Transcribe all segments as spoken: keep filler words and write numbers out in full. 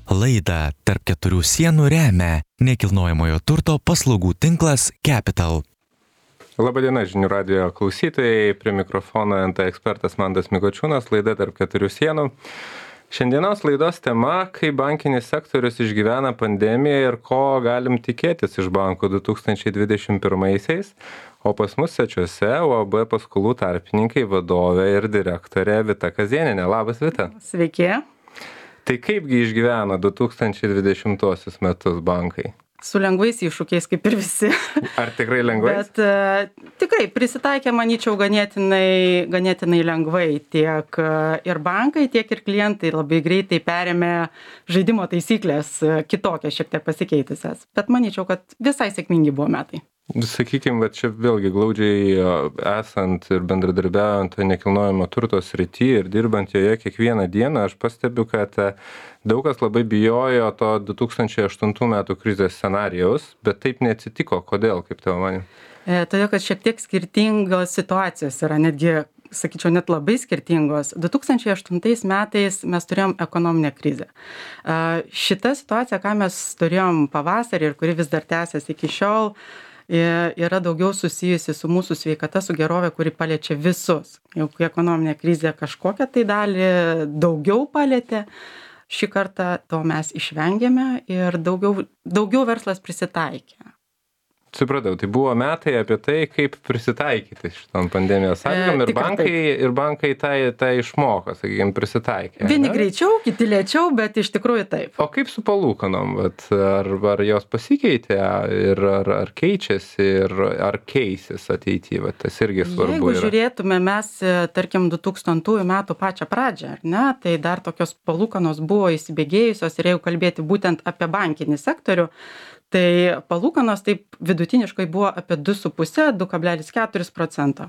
Laidą tarp keturių sienų remia nekilnojamojo turto paslaugų tinklas Capital. Labadiena žinių radijo klausytojai, prie mikrofono N T ekspertas Mantas Mikočiūnas, laida tarp keturių sienų. Šiandienos laidos tema, kaip bankinis sektorius išgyvena pandemiją ir ko galim tikėtis iš bankų du tūkstančiai dvidešimt pirmaisiais. O pas mus svečiuose U A B paskolų tarpininkai vadovė ir direktorė Vita Kazėnienė. Labas, Vita. Sveiki. Tai kaipgi išgyvena du tūkstančiai dvidešimtuosius metus bankai? Su lengvais iššūkiais, kaip ir visi. Ar tikrai lengvais? Bet uh, tikrai prisitaikė, manyčiau, ganėtinai, ganėtinai lengvai. Tiek uh, ir bankai, tiek ir klientai labai greitai perėmė žaidimo taisyklės, uh, kitokias šiek tiek pasikeitusias. Bet manyčiau, kad visai sėkmingi buvo metai. Sakykime, bet čia vėlgi glaudžiai esant ir bendradarbiaujant nekilnojamo turto srity ir dirbant joje kiekvieną dieną, aš pastebiu, kad daug kas labai bijojo to du tūkstančiai aštuntų metų krizės scenarijaus, bet taip neatsitiko. Kodėl, kaip tavo manė? E, todėl, kad šiek tiek skirtingos situacijos yra, netgi, sakyčiau, net labai skirtingos. du tūkstančiai aštuntais metais mes turėjom ekonominę krizę. E, šita situacija, ką mes turėjom pavasarį ir kuri vis dar tęsiasi iki šiol, yra daugiau susijusi su mūsų sveikata, su gerove, kuri paliečia visus. Jau kai ekonominė krizė kažkokią tai dalį daugiau palietė, šį kartą to mes išvengėme ir daugiau, daugiau verslas prisitaikė. Supratau, tai buvo metai apie tai, kaip prisitaikyti šitam pandemijos sąlygom, ir bankai, ir bankai tai, tai išmoko, sakykime, prisitaikė. Vieni ne? Greičiau, kiti lėčiau, bet iš tikrųjų taip. O kaip su palūkanom? Ar, ar jos pasikeitė, ir ar, ar keičiasi, ir ar keisis ateityje? Tas irgi svarbu. Jeigu yra. Žiūrėtume mes, tarkim, du tūkstantųjų metų pačią pradžią, ar ne, tai dar tokios palūkanos buvo įsibėgėjusios, ir jeigu kalbėti būtent apie bankinį sektorių, tai palūkanos taip vidutiniškai buvo apie du su puse - du kablelis keturi procento.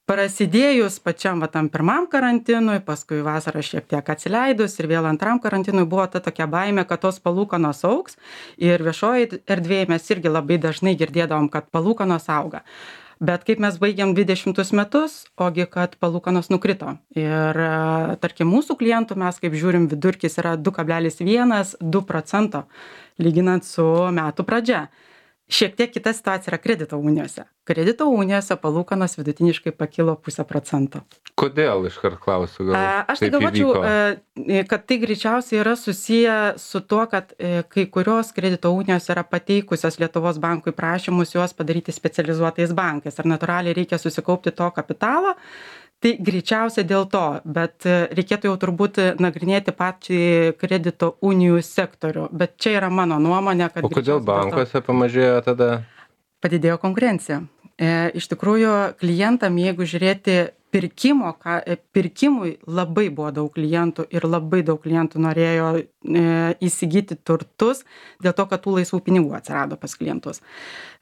Prasidėjus pačiam va, tam pirmam karantinui, paskui vasarą šiek tiek atsileidus ir vėl antram karantinui buvo ta tokia baimė, kad tos palūkanos augs, ir viešoji erdvėje mes irgi labai dažnai girdėdavom, kad palūkanos auga. Bet kaip mes baigiam dvidešimtus metus, ogi kad palūkanos nukrito. Ir tarkim mūsų klientų mes kaip žiūrim, vidurkis yra du kablelis vienas du procento lyginant su metų pradžia. Šiek tiek kita situacija yra kredito unijose. Kredito unijose palūkanos vidutiniškai pakilo pusę procento. Kodėl, iškart klausiu, gal A, Aš tai galvočiau, įvyko? Kad tai greičiausiai yra susiję su tuo, kad kai kurios kredito unijos yra pateikusios Lietuvos bankui prašymus juos padaryti specializuotais bankais. Ar natūraliai reikia susikaupti to kapitalo? Tai greičiausiai dėl to, bet reikėtų jau turbūt nagrinėti patį kredito unijų sektorių. Bet čia yra mano nuomonė, kad... O kodėl bankuose pamažėjo tada? Padidėjo konkurencija. E, iš tikrųjų, klientam, jeigu žiūrėti pirkimo, ka, pirkimui labai buvo daug klientų ir labai daug klientų norėjo e, įsigyti turtus dėl to, kad tų laisvų pinigų atsirado pas klientus.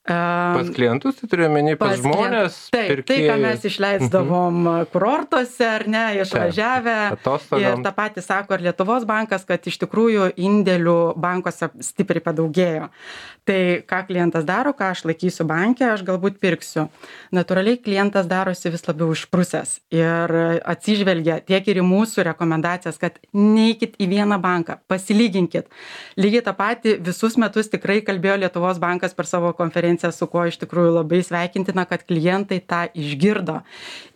Pas klientus, tai turiu menį, pas, pas žmonės, taip, pirkėjai. Tai, ką mes išleisdavom uh-huh. kurortuose, ar ne, išvažiavę. Ir tą patį sako ir Lietuvos bankas, kad iš tikrųjų indėlių bankuose stipriai padaugėjo. Tai ką klientas daro, ką aš laikysiu banke, aš galbūt pirksiu. Natūraliai klientas darosi vis labiau išprusęs ir atsižvelgia tiek ir į mūsų rekomendacijas, kad neikit į vieną banką, pasilyginkit. Lygiai tą patį visus metus tikrai kalbėjo Lietuvos bankas per savo konferenciją, su kuo iš tikrųjų labai sveikintina, kad klientai tą išgirdo.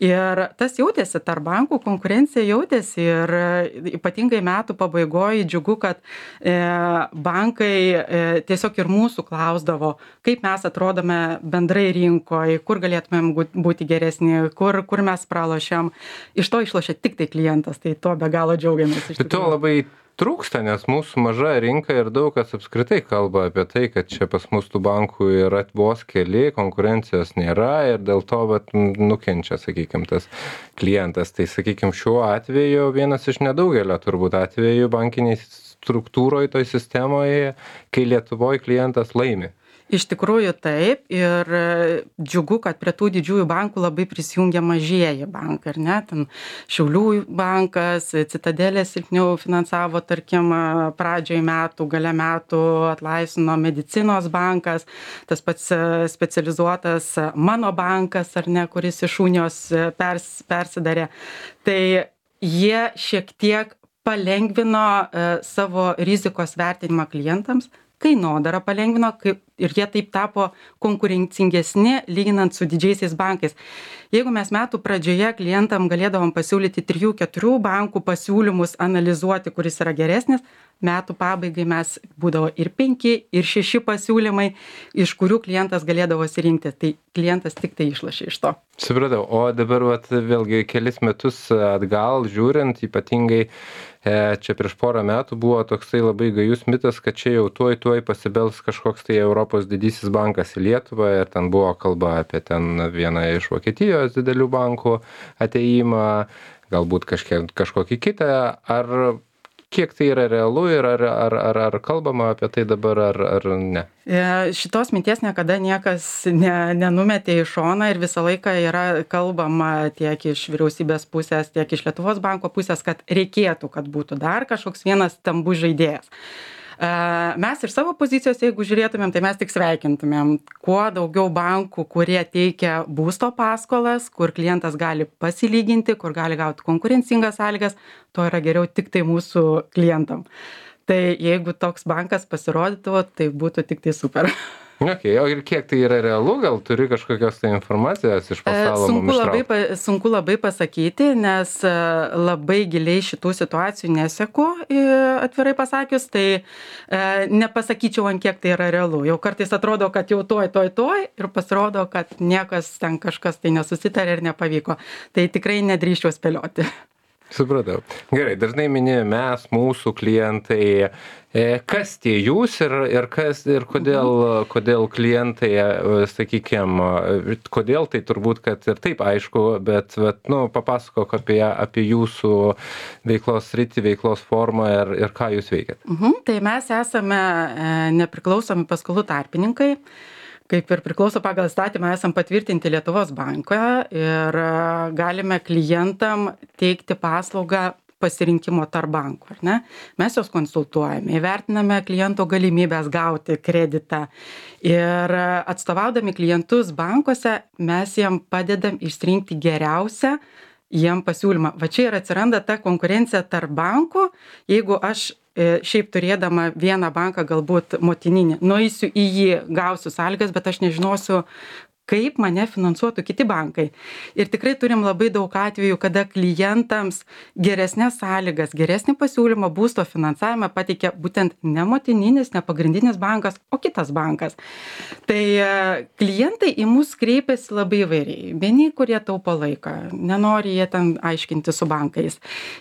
Ir tas jautėsi, tarp bankų konkurencija jautėsi, ir ypatingai metų pabaigoje džiugu, kad e, bankai e, tiesiog ir mūsų klausdavo, kaip mes atrodome bendrai rinkoje, kur galėtumėm būti geresni, kur, kur mes pralošiam. Iš to išlošia tik tai klientas, tai to be galo džiaugiamės. Tai to labai trūksta, nes mūsų maža rinka ir daug kas apskritai kalba apie tai, kad čia pas mus tų bankų yra vos keli, konkurencijos nėra ir dėl to vat, nukenčia, sakykime, tas klientas. Tai, sakykime, šiuo atveju vienas iš nedaugelio turbūt atveju bankiniai struktūroje, toj sistemoje, kai Lietuvoje klientas laimi. Iš tikrųjų taip, ir džiugu, kad prie tų didžiųjų bankų labai prisijungia mažieji bankai, ar ne? Ten Šiaulių bankas, Citadelė silpniau finansavo, tarkim, pradžioj metų, gale metų atlaisvino Medicinos bankas, tas pats specializuotas Mano bankas, ar ne, kuris iš unijos pers, persidarė. Tai jie šiek tiek palengvino savo rizikos vertinimą klientams, kainodarą palengvino kaip, ir jie taip tapo konkurencingesni lyginant su didžiaisiais bankais. Jeigu mes metų pradžioje klientam galėdavom pasiūlyti trijų keturių bankų pasiūlymus analizuoti, kuris yra geresnis, metų pabaigai mes būdavo ir penki, ir šeši pasiūlymai, iš kurių klientas galėdavo sirinkti. Tai klientas tik tai išlošė iš to. Supratau, o dabar vat, vėlgi kelis metus atgal žiūrint, ypatingai e, čia prieš porą metų buvo toksai labai gajus mitas, kad čia jau tuoj tuoj pasibels kažkoks tai Europos didysis bankas į Lietuvą ir ten buvo kalba apie ten vieną iš Vokietijos didelių bankų ateimą, galbūt kažkiek, kažkokį kitą. Ar kiek tai yra realu ir ar, ar, ar, ar kalbama apie tai dabar, ar, ar ne? Šitos minties niekada niekas ne, nenumetė į šoną ir visą laiką yra kalbama tiek iš vyriausybės pusės, tiek iš Lietuvos banko pusės, kad reikėtų, kad būtų dar kažkoks vienas stambus žaidėjas. Mes iš savo pozicijos, jeigu žiūrėtumėm, tai mes tik sveikintumėm kuo daugiau bankų, kurie teikia būsto paskolas, kur klientas gali pasilyginti, kur gali gauti konkurencingas sąlygas, to yra geriau tik tai mūsų klientam. Tai jeigu toks bankas pasirodytų, tai būtų tik tai super. Okay, o ir kiek tai yra realu, gal turi kažkokios tai informacijos iš pasaulio sunku mums labai, ištraukti? sunku labai pasakyti, nes labai giliai šitų situacijų neseku, atvirai pasakius, tai nepasakyčiau, ant kiek tai yra realu. Jau kartais atrodo, kad jau toj, toj, toj ir pasirodo, kad niekas ten kažkas tai nesusitarė ir nepavyko. Tai tikrai nedrįščiau spėlioti. Supratau. Gerai, dažnai minėjome mes, mūsų klientai, kas tie jūs ir, ir, kas, ir kodėl, kodėl klientai, sakykime, kodėl tai turbūt, kad ir taip aišku, bet, bet nu, papasakok apie, apie jūsų veiklos sritį, veiklos formą ir, ir ką jūs veikiat. Mhm, tai mes esame nepriklausomi paskolų tarpininkai. Kaip ir priklauso pagal įstatymą, esam patvirtinti Lietuvos banko ir galime klientam teikti paslaugą pasirinkimo tarp bankų, ar ne? Mes juos konsultuojame, įvertiname kliento galimybės gauti kreditą ir atstovaudami klientus bankuose mes jiem padedam išsirinkti geriausią jiem pasiūlymą. Va čia ir atsiranda ta konkurencija tarp bankų, jeigu aš šiaip turėdama vieną banką, galbūt motininį, nueisiu į jį, gausiu sąlygas, bet aš nežinosiu, kaip mane finansuotų kiti bankai. Ir tikrai turim labai daug atvejų, kada klientams geresnės sąlygas, geresnį pasiūlymą būsto finansavimą pateikia būtent ne motininis, ne pagrindinis bankas, o kitas bankas. Tai klientai į mus kreipiasi labai įvairiai. Vieni, kurie taupo laiką, nenori jie ten aiškinti su bankais.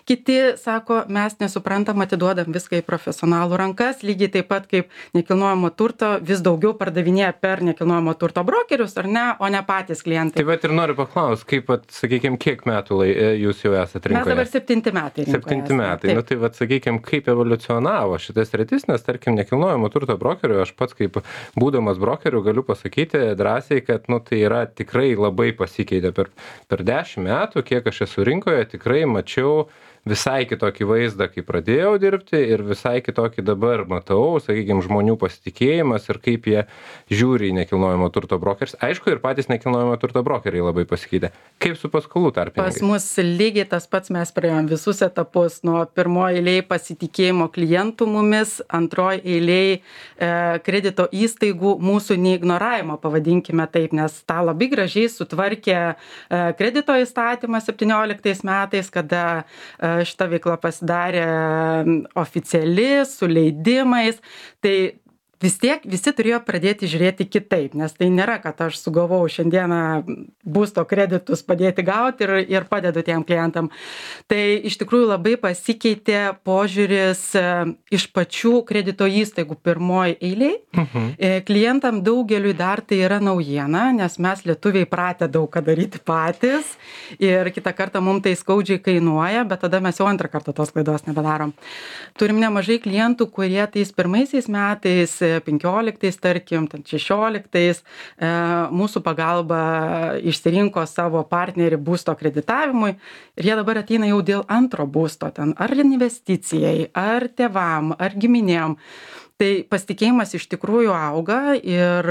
Kiti sako, mes nesuprantam, atiduodam viską į profesionalų rankas, lygiai taip pat kaip nekilnojamo turto vis daugiau pardavinėja per nekilnojamo turto brokerius, ar ne? O ne patys klientai. Tai bet ir noriu paklausti, kaip, sakykime, kiek metų lai, jūs jau esate rinkoje? Mes dabar septinti metai rinkoje. Septinti metai. Taip. Nu tai, vat, sakykime, kaip evoliucionavo šitas sritis, nes, tarkim, nekilnojamo turto brokerių, aš pats kaip būdamas brokeriu galiu pasakyti drąsiai, kad, nu, tai yra tikrai labai pasikeitę per, per dešimt metų, kiek aš esu rinkoje, tikrai mačiau visai kitokį vaizdą, kai pradėjau dirbti ir visai kitokį dabar matau, sakykime, žmonių pasitikėjimas ir kaip jie žiūri į nekilnojamo turto brokerius. Aišku, ir patys nekilnojamo turto brokeriai labai pasikeitė. Kaip su paskolų tarpininkais? Pas mus lygiai tas pats, mes praėjom visus etapus, nuo pirmoji eilėje pasitikėjimo klientų mumis, antroji eilėje e, kredito įstaigų mūsų neignoravimo, pavadinkime taip, nes tą labai gražiai sutvarkė e, kredito įstatymas septynioliktais metais, kada e, šita veikla pasidarė oficiali, su leidimais, tai vis tiek visi turėjo pradėti žiūrėti kitaip, nes tai nėra, kad aš sugalvojau šiandieną būsto kreditus padėti gauti ir, ir padedu tiem klientam. Tai iš tikrųjų labai pasikeitė požiūris iš pačių kredito įstaigų pirmoji eiliai. Mhm. Klientam daugeliui dar tai yra naujiena, nes mes lietuviai pratę daug ką daryti patys ir kitą kartą mums tai skaudžiai kainuoja, bet tada mes jau antrą kartą tos klaidos nebedarom. Turim nemažai klientų, kurie tais pirmaisiais metais penkioliktais, tarkim, šešioliktais mūsų pagalba išsirinko savo partnerį būsto kreditavimui ir jie dabar ateina jau dėl antro būsto, ten ar investicijai, ar tėvam, ar giminėm. Tai pasitikėjimas iš tikrųjų auga ir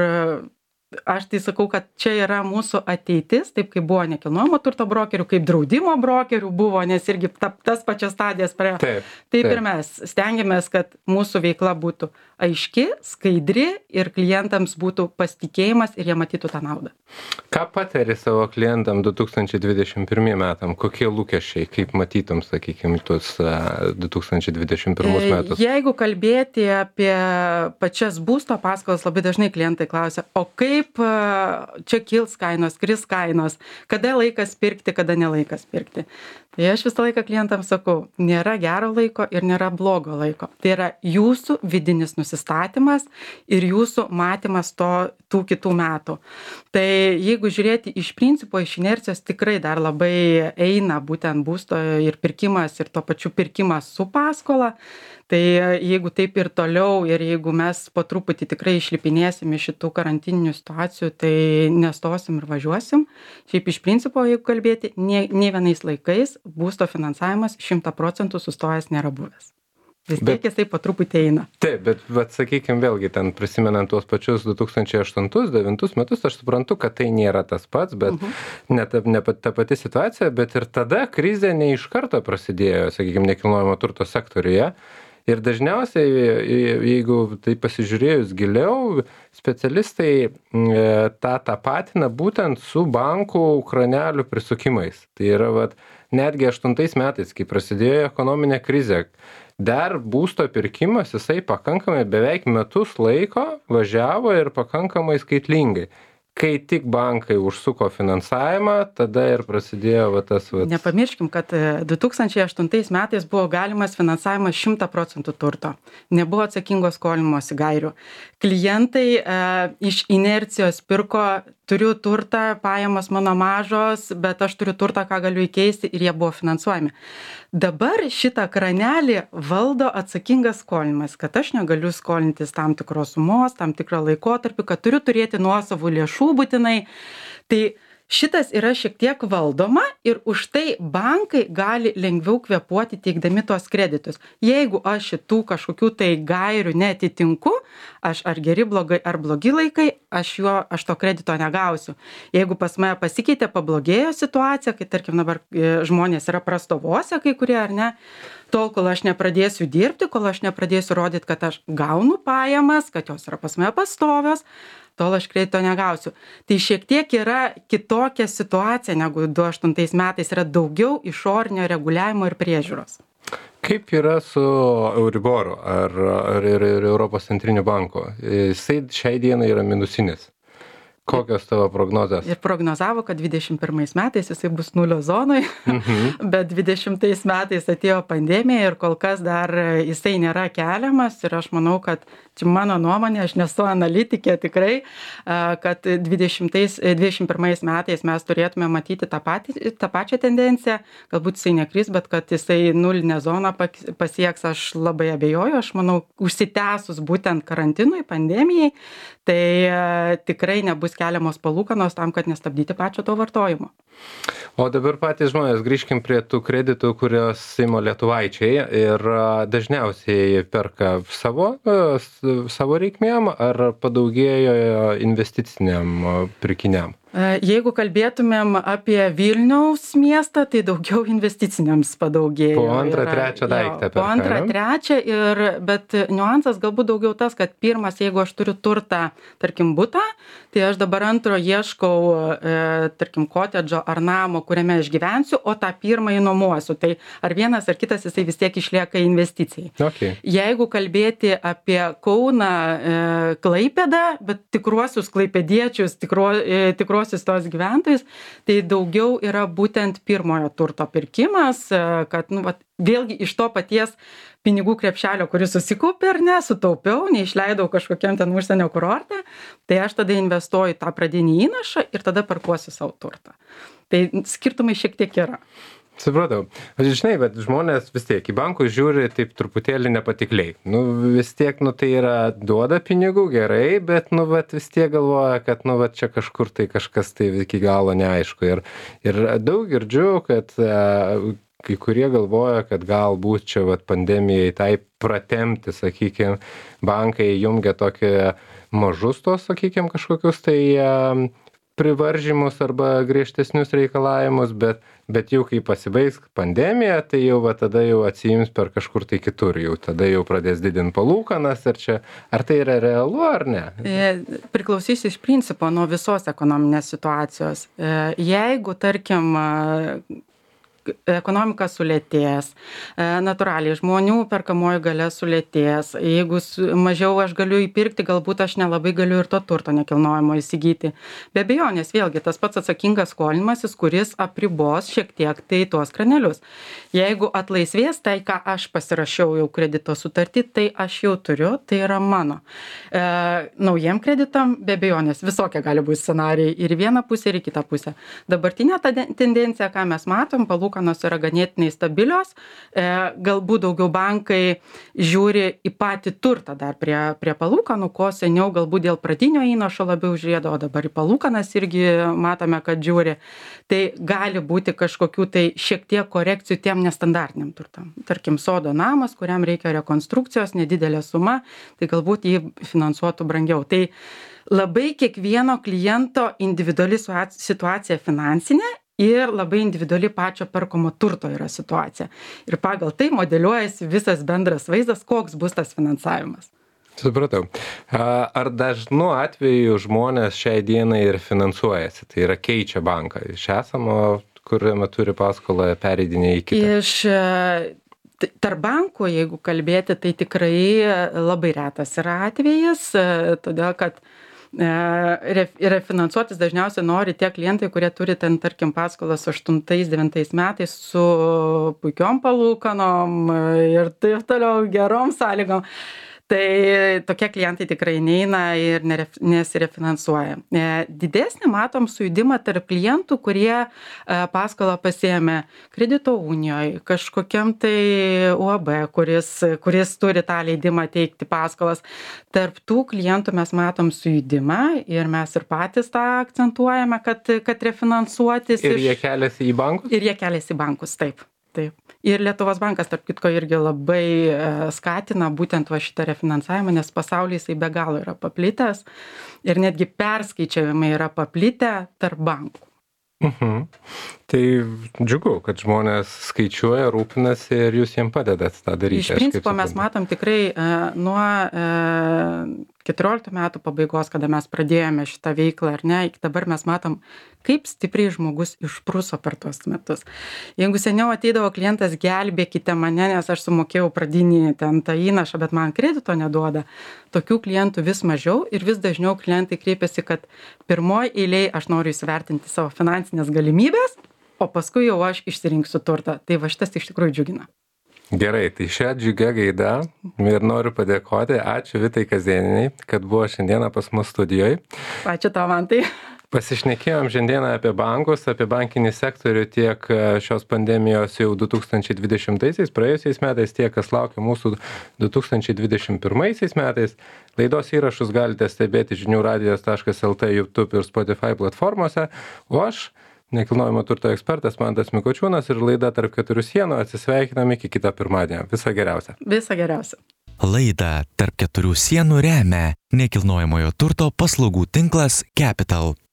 aš tai sakau, kad čia yra mūsų ateitis, taip kaip buvo nekilnojamo turto brokerių, kaip draudimo brokerių buvo, nes irgi ta, tas pačias stadijas praėjo. Taip, taip, taip ir mes stengiamės, kad mūsų veikla būtų aiški, skaidri ir klientams būtų pasitikėjimas ir jie matytų tą naudą. Ką patari savo klientam du tūkstančiai dvidešimt pirmiem metam? Kokie lūkesčiai, kaip matytum, sakykime, tuos du tūkstančiai dvidešimt pirmus metus? Jeigu kalbėti apie pačias būsto paskolas, labai dažnai klientai klausia, o kaip čia kils kainos, kris kainos, kada laikas pirkti, kada nelaikas pirkti. Tai aš visą laiką klientams sakau, nėra gero laiko ir nėra blogo laiko. Tai yra jūsų vidinis nusistatymas ir jūsų matymas to, tų kitų metų. Tai jeigu žiūrėti iš principo, iš inercijos tikrai dar labai eina būtent būsto ir pirkimas ir to pačiu pirkimas su paskola. Tai jeigu taip ir toliau ir jeigu mes po truputį tikrai išlipinėsim iš šitų karantininių situacijų, tai nestosim ir važiuosim. Šiaip iš principo, jeigu kalbėti, nei, nei vienais laikais būsto finansavimas šimtą procentų sustojęs nėra buvęs. Vis tiek jisai po truputį eina. Taip, bet, bet sakykime, vėlgi ten prisimenant tuos pačius du tūkstančiai aštuntus devintus metus, aš suprantu, kad tai nėra tas pats, bet uh-huh. ne, ta, ne ta pati situacija, bet ir tada krizė ne iš karto prasidėjo, sakykime, nekilnojamo turto sektoriuje. Ir dažniausiai, jeigu tai pasižiūrėjus giliau, specialistai tą tapatina būtent su bankų kranelių prisukimais. Tai yra, vat, netgi aštuntais metais, kai prasidėjo ekonominė krizė, dar būsto pirkimas, jisai pakankamai beveik metus laiko važiavo ir pakankamai skaitlingai. Kai tik bankai užsuko finansavimą, tada ir prasidėjo va, tas... Va... Nepamirškim, kad du tūkstančiai aštuntais metais buvo galimas finansavimas šimtą procentų turto. Nebuvo atsakingos skolinimosi gairių. Klientai e, iš inercijos pirko, turiu turtą, pajamos mano mažos, bet aš turiu turtą, ką galiu įkeisti ir jie buvo finansuojami. Dabar šitą kranelį valdo atsakingas skolinimas, kad aš negaliu skolintis tam tikros sumos, tam tikrą laikotarpį, kad turiu turėti nuosavų lėšų būtinai. Tai šitas yra šiek tiek valdoma ir už tai bankai gali lengviau kvėpuoti teikdami tuos kreditus. Jeigu aš šitų kažkokių tai gairių netitinku, aš ar geri blogai, ar blogi laikai, aš, jo, aš to kredito negausiu. Jeigu pas mane pasikeitė, pablogėjo situacija, kai tarkim dabar žmonės yra prastovose kai kurie ar ne, tol, kol aš nepradėsiu dirbti, kol aš nepradėsiu rodyti, kad aš gaunu pajamas, kad jos yra pas mane pastovios, tol aš kredito negausiu. Tai šiek tiek yra kitokia situacija negu du tūkstančiai aštuntais metais, yra daugiau išorinio reguliavimo ir priežiūros. Kaip yra su Euriboru ar, ar ir, ir Europos centriniu banku? Jisai šiai dienai yra minusinis. Kokios tavo prognozės? Ir prognozavo, kad dvidešimt pirmais metais jisai bus nulio zonoj, mhm. bet dvidešimtais metais atėjo pandemija ir kol kas dar jisai nėra keliamas ir aš manau, kad čia mano nuomonė, aš nesu analitikė tikrai, kad dvidešimt pirmais metais mes turėtume matyti tą, patį, tą pačią tendenciją, galbūt jisai nekris, bet kad jisai nulinę zoną pasieks, aš labai abejoju, aš manau, užsitęsus būtent karantinui, pandemijai, tai tikrai nebus keliamos palūkanos tam, kad nestabdyti pačio to vartojimo. O dabar patys žmonės, grįžkim prie tų kreditų, kurios ima lietuvaičiai ir dažniausiai perka savo, savo reikmėm ar padaugėjo investiciniam pirkiniam? Jeigu kalbėtumėm apie Vilniaus miestą, tai daugiau investiciniams padaugėjo. Po antrą, trečią daiktą perka. Po antrą, trečią, ir, bet niuansas galbūt daugiau tas, kad pirmas, jeigu aš turiu turtą, tarkim, butą, tai aš dabar antro ieškau, e, tarkim, kotedžo ar namo, kuriame aš gyvensiu, o tą pirmąjį nuomuosiu. Tai ar vienas ar kitas jisai vis tiek išlieka investicijai. Okay. Jeigu kalbėti apie Kauną, e, Klaipėdą, bet tikruosius klaipėdiečius, tikro, e, tikruosius tos gyventojus, tai daugiau yra būtent pirmojo turto pirkimas, kad, nu, vat, vėlgi iš to paties pinigų krepšelio, kuris susikaupė ar ne, sutaupiau, neišleidau kažkokiam ten užsienio kurorte, tai aš tada investuoju tą pradinį įnašą ir tada parkuosiu savo turtą. Tai skirtumai šiek tiek yra. Supratau. Aš žinai, bet žmonės vis tiek į bankus žiūri taip truputėlį nepatikliai. Nu, vis tiek, nu, tai yra duoda pinigų, gerai, bet, nu, bet vis tiek galvoja, kad, nu, va, čia kažkur tai kažkas tai iki galo neaišku. Ir, ir daug girdžiu, kad uh, kai kurie galvoja, kad galbūt čia vat, pandemijai tai pratemti, sakykime, bankai jungia tokie mažus tos, sakykime, kažkokius tai privaržymus arba griežtesnius reikalavimus, bet, bet jau kai pasibaigs pandemija, tai jau va, tada jau atsiims per kažkur tai kitur, jau tada jau pradės didinti palūkanas, ar čia, ar tai yra realu ar ne? Priklausys iš principo nuo visos ekonominės situacijos. Jeigu, tarkim, ekonomika sulėtės, natūraliai žmonių perkamoji galia sulėtės, jeigu mažiau aš galiu įpirkti, galbūt aš nelabai galiu ir to turto nekilnojamo įsigyti. Be abejonės, vėlgi, tas pats atsakingas skolinimasis, kuris apribos šiek tiek tai tuos kranelius. Jeigu atlaisvės tai, ką aš pasirašiau jau kredito sutartį, tai aš jau turiu, tai yra mano. E, naujiem kreditam, be abejonės, visokie gali būti scenarijai ir į vieną pusę, ir į kitą pusę. Dabartinė ta tendencija, ką mes matom, palūkanos yra ganėtinai stabilios, e, galbūt daugiau bankai žiūri į patį turtą dar prie, prie palūkanų, ko seniau galbūt dėl pradinio įnašo labiau žiūrėdavo, dabar į palūkanas irgi matome, kad žiūri. Tai gali būti kažkokių tai šiek tiek korekcijų tiem nestandartiniam turtam. Tarkim, sodo namas, kuriam reikia rekonstrukcijos, nedidelė suma, tai galbūt jį finansuotų brangiau. Tai labai kiekvieno kliento individuali situacija finansinė ir labai individuali pačio perkamo turto yra situacija. Ir pagal tai modeliuojasi visas bendras vaizdas, koks bus tas finansavimas. Supratau. Ar dažnu atveju žmonės šiai dienai ir finansuojasi, tai yra keičia banką iš esamo, kuriame turi paskolą, pereidinė į kitą? Iš tarp bankų, jeigu kalbėti, tai tikrai labai retas yra atvejis, todėl kad refinansuotis dažniausiai nori tie klientai, kurie turi ten, tarkim, paskolas aštuntais devintais metais su puikiom palūkanom ir taip toliau gerom sąlygom. Tai tokie klientai tikrai neina ir nesirefinansuoja. Didesnį matom sujudimą tarp klientų, kurie paskolą pasiėmė kredito unijoje, kažkokiam tai U A B, kuris, kuris turi tą leidimą teikti paskolas. Tarp tų klientų mes matom sujudimą ir mes ir patys tą akcentuojame, kad, kad refinansuotis. Ir jie iš... keliasi į bankus? Ir jie keliasi į bankus, taip. Taip. Ir Lietuvos bankas, tarp kitko, irgi labai skatina būtent va šitą refinansavimą, nes pasaulyje jisai be galo yra paplitęs ir netgi perskaičiavimai yra paplitę tarp bankų. Mhm. Tai džiugu, kad žmonės skaičiuoja, rūpinasi ir jūs jiems padedat tą daryti. Iš principo mes matom tikrai uh, nuo uh, keturioliktų metų pabaigos, kada mes pradėjome šitą veiklą, ar ne, iki dabar mes matom, kaip stipriai žmogus išpruso per tuos metus. Jeigu seniau ateidavo klientas, gelbėkite mane, nes aš sumokėjau pradinį ten tą įnašą, bet man kredito neduoda, tokių klientų vis mažiau ir vis dažniau klientai kreipiasi, kad pirmoji eilėje aš noriu įsivertinti savo finansinės galimybės, o paskui jau aš išsirinksiu turtą. Tai va šitas iš tikrųjų džiugina. Gerai, tai šią džiugę gaidą ir noriu padėkoti. Ačiū Vitai Kazėnienei, kad buvo šiandieną pas mus studijoje. Ačiū tau, Mantai. Pasišnekėjom šiandieną apie bankus, apie bankinį sektorių tiek šios pandemijos jau du tūkstančiai dvidešimtaisiais, praėjusiais metais, tiek kas laukia mūsų du tūkstančiai dvidešimt pirmaisiais metais. Laidos įrašus galite stebėti žinių radijas taškas el tė, YouTube ir Spotify platformose, o aš, nekilnojamo turto ekspertas Mantas Mikočiūnas ir laida Tarp keturių sienų atsisveikinam iki kitą pirmadienį. Viso geriausio. Viso geriausio. Laidą Tarp keturių sienų remia nekilnojamojo turto paslaugų tinklas Capital.